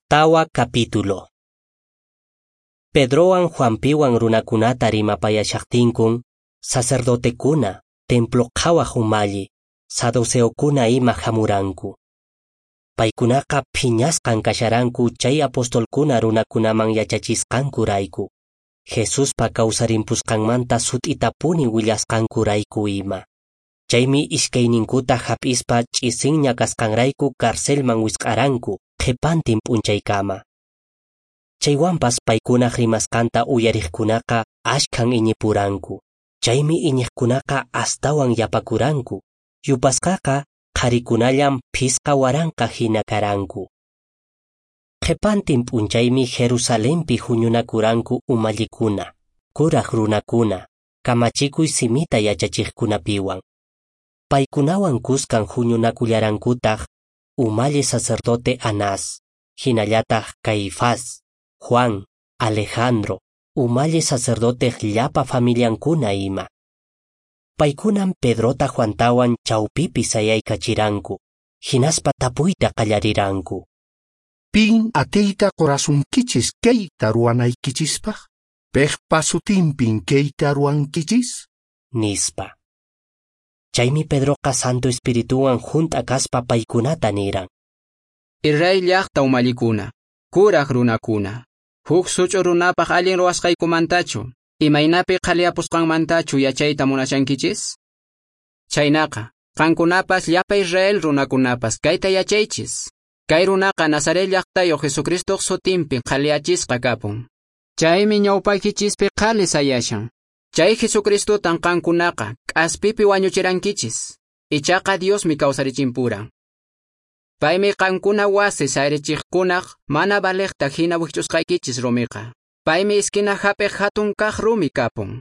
Tawa capítulo. Pedrowan Juanpiwan runakunata rimapayashaqtinkun, sacerdotekuna, templo qhawaq umalli, saduceokuna ima hamuranku. Paykunaqa phiñasqan kasharanku chay apostolkuna runakunaman yachachisqankurayku, Jesuspa kawsarimpusqanmanta sut'itapuni willasqankurayku ima. Chaymi iskayninkuta hap'ispa ch'isinña kasqanrayku carcelman wisq'aranku qhipantin p'unchaykama. Chaywanpas paykunaq rimasqanta uyariqkunaqa ashkhan iñipuranku. Chaymi iñiqkunaqa astawan yapakuranku. Yupasqaqa qharikunallam 5000 hina karanku. Qhipantin p'unchaymi Jerusalenpi huñunakuranku umallikuna, kuraq runakuna, kamachikuy simita yachachiqkunapiwan. Paykunawan kuskan huñunakullarankutaq umalli sacerdote Anás, hinallataq Caifás, Juan, Alejandro, umalli sacerdote llapa familiankuna ima. Paykunan Pedrota Juantawan chawpipi sayaykachiranku, hinaspa tapuyta qallariranku. Pin atiyta qorasunkichis kayta ruwanaykichispaq? Piqpa sutinpin kayta ruwankichis? Nispa. Chaymi Pedroqa Santo Espirituwan hunt'a kaspa paykunata niran. Israel llaqta umallikuna, kuraq runakuna, huk such'u runapaq allin ruwasqaykumantachu, imaynapi qhaliyapusqanmantachu yachayta munashankichis? Chaynaqa, qankunapas llapa Israel runakunapas kayta yachaychis. Kay runaqa Nazaret llaqtayuq Jesucristoq sutinpi qhaliyachisqa kapun. Chaymi ñawpaykichispi qhali sayashan. Chay Jesucristotan qankunaqa k'aspipi wañuchirankichis. Ichaqa Diosmi kawsarichimpuran. Paymi qankuna wasi sayrichiqkunaq mana valiqta hina wikch'usqaykichis rumiqa. Paymi iskina hap'iq hatun kaq rumi kapun.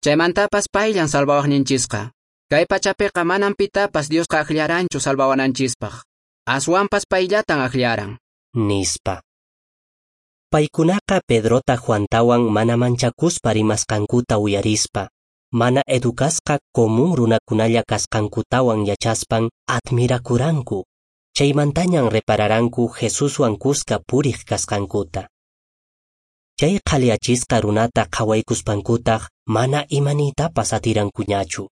Chaymantapas payllan salvawaqninchisqa. Kay pachapiqa manan pitapas Diosqa akllaranchu salvawananchispaq. Aswanpas payllatan akllaran. Nispa. Paykunaqa Pedrota Juantawan mana manchakuspa rimasqankuta uyarispa, mana educasqa común runakunalla kasqankutawan yachaspan admirakuranku. Chaymantañan repararanku Jesuswan kuska puriq kasqankuta. Chay qhaliyachisqa runata qhawaykuspankutaq mana imaniytapas atirankuñachu.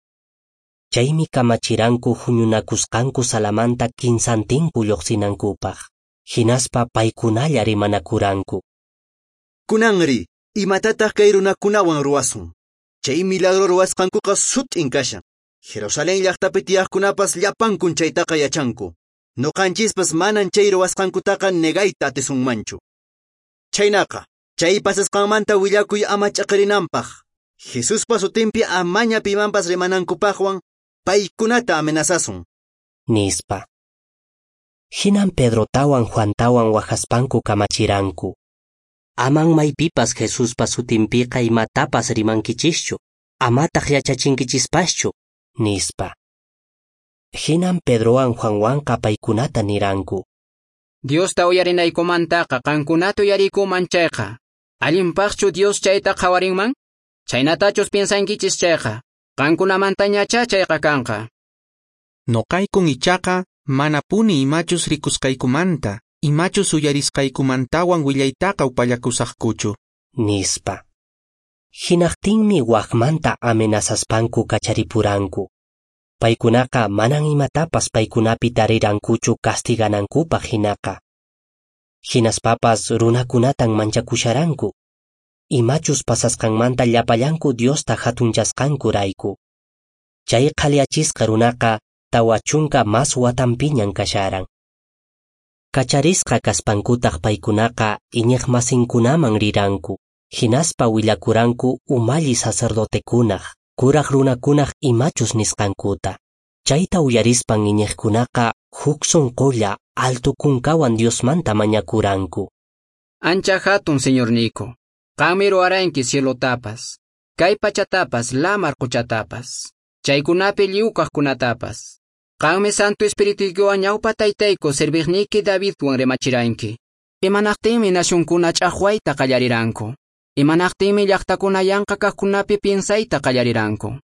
Chaymi kamachiranku huñunakusqanku salamanta kinsantinku lluqsinankupaq. Hinaspa paykunalla rimanakuranku. Kunanri, imatataq kay runakunawan ruwasun? Chay milagro ruwasqankuqa sut'in kashan. Jerusalén llaqtapi tiyaqkunapas llapankun chaytaqa yachanku. Nuqanchispas manan chay ruwasqankutaqa negayta atisunmanchu. Chaynaqa, chay pasasqanmanta willakuy ama ch'aqirinanpaq, Jesuspa sutinpi amaña pimanpas rimanankupaqwan paykunata amenazasun. Nispa. Hinan Pedrotawan Juantawan waqaspanku kamachiranku. Aman maypipas Jesuspa sutinpiqa imatapas rimankichischu, amataq yachachinkichispaschu, nispa. Hinan Pedrowan Juanwanqa paykunata niranku. Diosta uyarinaykumantaqa qankunata uyariykuman chayqa, allinpaqchu Dios chayta qhawarinman? Chaynatachus piensankichis chayqa, qankunamantañachá chayqa kanqa. Noqaykun ichaqa manapuni imachus rikusqaykumanta, imachus uyarisqaykumantawan willaytaqa upallakusaqkuchu. Nispa. Hinaqtinmi waqmanta amenazaspanku kacharipuranku. Paykunaqa manan imatapas paykunapi tarirankuchu castiganankupaq hinaqa. Hinaspapas runakunatan manchakusharanku. Imachus pasasqanmanta llapallanku Diosta hatunchasqankurayku. Chay qhaliyachisqa runaqa 40 mas watanpiñan kasharan. Kacharisqa kaspankutaq paykunaqa iñiqmasinkunaman riranku, hinaspa willakuranku umalli sacerdotekunaq, kuraq runakunaq imachus nisqankuta. Chayta uyarispan iñiqkunaqa huk sunqulla alto kunkawan Diosmanta mañakuranku. Ancha hatun Señorniyku, qanmi ruwaranki cielotapas, kay pachatapas, lamar quchatapas, chaykunapi lliw kaqkunatapas. Qanmi Santo Espirituykiwan ñawpa taytayku serviqniyki Davidwan rimachiranki. Imanaqtinmi nacionkuna ch'aqwayta qallariranku. Imanaqtinmi llaqtakuna yanqa kaqkunapi piensayta qallariranku.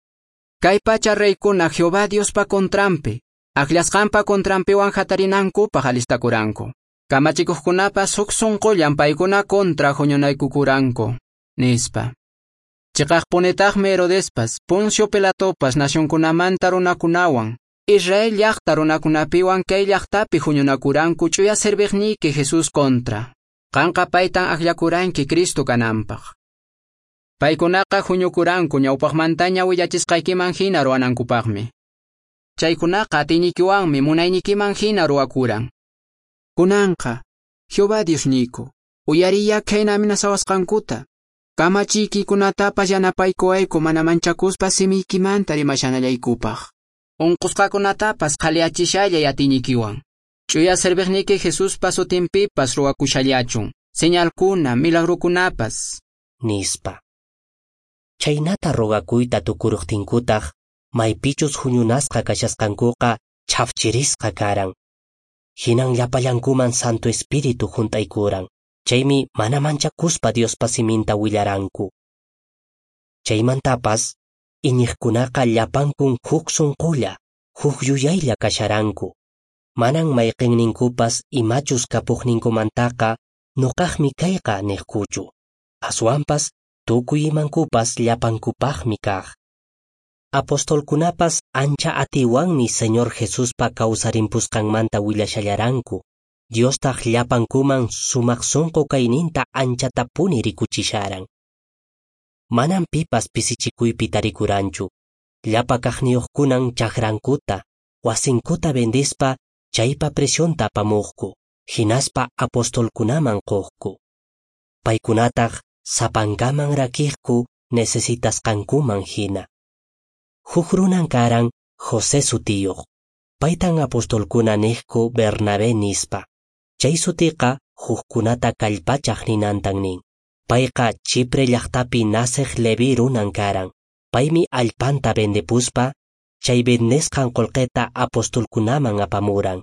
Kay pacha reykuna Jehová Diospa contranpi, akllashqanpa contranpiwan hatarinankupaq alistakuranku. Kamachikuqkunapas huk sunqullan paykuna kontra huñunaykukuranku, nispa. Chiqaqpunitaqmi Herodespas, Poncio Pilatopas nacionkunamanta runakunawan, Israel llaqta runakunapiwan kay llaqtapi huñunakuranku ch'uya serviqniyki Jesús kontra. Qanqa paytan akllakuranki Cristo kananpaq. Paykunaqa huñukuranku ñawpaqmantaña willachisqaykiman hina ruwanankupaqmi. Chaykunaqa atiynikiwanmi munaynikiman hina ruwakuran. Kunanqa, Jehová Diosniyku, uyariya khayna amenazawasqankuta. Kamachiykikunatapas yanapaykuwayku mana manchakuspa simiykimanta rimashanallaykupaq. Unqusqakunatapas qhaliyachishallay atiynikiwan. Ch'uya serviqniyki Jesuspa sutinpipas ruwakushallachun, señalkuna, milagrukunapas. Nispa. Chaynata rogakuyta tukuruqtinkutaq, maypichus huñunasqa kashasqankuqa chhafchirisqa karan. Hinan llapallankuman Santo Espíritu hunt'aykuran. Chaymi mana manchakuspa Diospa siminta willaranku. Chaymantapas, iñiqkunaqa llapankun huk sunqulla, huk yuyaylla kasharanku. Manan mayqinninkupas imachus kapuqninkumantaqa nuqaqmi kayqa niqkuchu. Aswanpas tukuy imankupas llapankupaqmi kaq. Apostolkunapas ancha atiwanmi Señor Jesuspa kawsarimpusqanmanta willashallaranku. Diostaq llapankuman sumaq sunqu kayninta anchatapuni rikuchisharan. Manan pipas pisichikuypi tarikuranchu. Llapa kaqniyuqkunan chakrankuta, wasinkuta vendispa chaypa presionta apamuqku, hinaspa apostolkunaman quqku. Paykunataq sapankaman rakiqku necesitasqankuman hina. Huk runan karan José sutiyuq. Paytan apostolkuna niqku Bernabé nispa. Chay sutiqa hukkunata kallpachaq ninantan nin. Payqa Chipre llaqtapi naceq Leví runan karan. Paymi allpanta vendepuspa, chay vendesqan qullqita apostolkunaman apamuran.